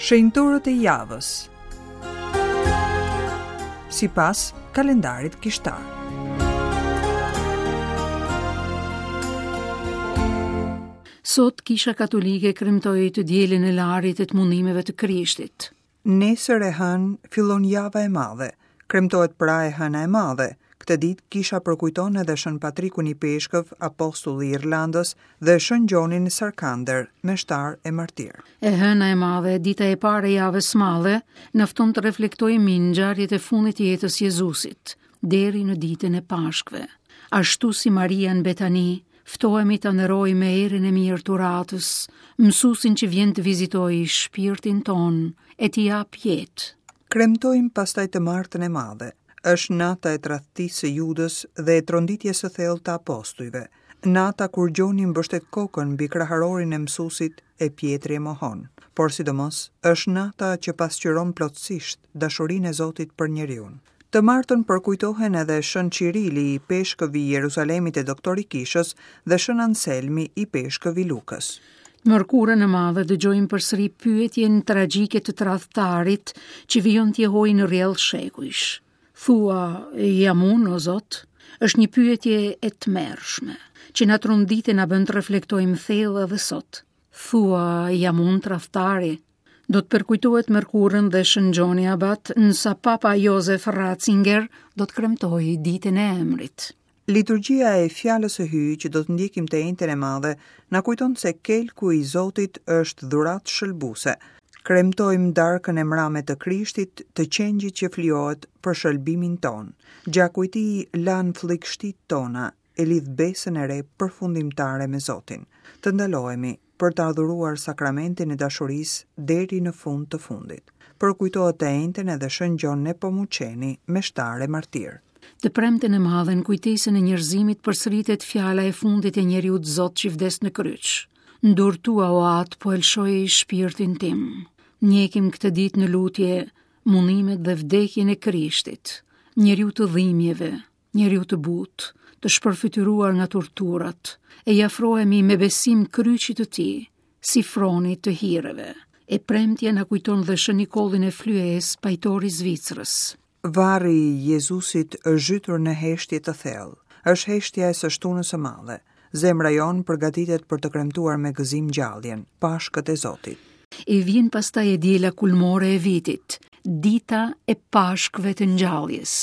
Shenjtorët e javës. Sipas kalendarit kishtar. Sot Kisha Katolike kremtoi të dielën e Larit e të mundimeve të Krishtit. Nesër e hënë fillon java e madhe. Kremtohet pra e hëna e madhe. Këtë ditë kisha përkujton edhe Shën Patrikun ipeshkëv, apostull i Irlandës dhe Shën Gjonin Sarkander, meshtar e martir. E hëna e madhe, dita e parë e javës së madhe, na fton të reflektojmë mbi ngjarjet e fundit të jetës së Jezusit, deri në ditën e Pashkëve. Ashtu si Maria në Betani, Ftohemi ta nderojmë me erën e mirë të uratës, mësuesin që vjen të vizitojë shpirtin tonë e t'i japë jetë. Kremtojmë pastaj të martën e madhe. Është nata e tradhtisë së Judës dhe e tronditjes së thellë të apostujve. Nata kur Gjoni mbështet kokën mbi kraharorin e mësuesit e Pjetri e mohon. Por sidomos, është nata që pasqyron plotësisht dashurinë e Zotit për njeriun. Të martën përkujtohen edhe Shën Çirili, ipeshkëv i Jeruzalemit e doktor i Kishës, dhe Shën Anselmi, ipeshkëv i Lukës. Të mërkurën e madhe dëgjojmë përsëri pyetjen tragjike të tradhtarit që vijon të jehojë në rrjedhë shekujsh. Thua, jam unë, o Zot? Është një pyetje e tmerrshme, që na trondit e na bën të reflektojmë thellë edhe sot. Thua, jam unë tradhtari? Do të përkujtohet të mërkurën dhe Shën Gjoni Abat, ndërsa Papa Jozef Ratzinger do të kremtojë ditën e emrit. Liturgjia e Fjalës së Hyjit që do të ndjekim të enjten e madhe, na kujton se kelku i Zotit është dhuratë shëlbuese. Kremtojmë darkën e mrame të Krishtit, të qengjit që flijohet për shëlbimin tonë. Gjaku i tij lan flliqshtitë tona e lidh besën e re përfundimtare me Zotin. Të ndalohemi për të adhuruar sakramentin e dashurisë deri në fund të fundit. Përkujtohet të enjten edhe Shën Gjon Nepomuçeni, meshtar e martir. Të premten e madhe në kujtesën e njerëzimit përsëritet fjala e fundit e njeriut Zot që vdes në kryq. Në duart tua o Atë po e lëshoj shpirtin tim. Ndjekim këtë ditë në lutje mundimet dhe vdekjen e Krishtit, njeriut të dhimbjeve, njeriut të butë, të shpërfytyruar nga torturat, e i afrohemi me besim kryqit të tij, si fronit të hireve. E premtja na kujton dhe Shën Nikollin e Flyesë, pajtor i Zvicrës. Varri i Jezusit është zhytur në heshtje të thellë. Është heshtja e së shtunës së madhe. Zemra jonë përgatitet për të kremtuar me gëzim ngjalljen, Pashkët e Zotit. E vjen pastaj e diela kulmore e vitit, dita e Pashkëve të ngjalljes.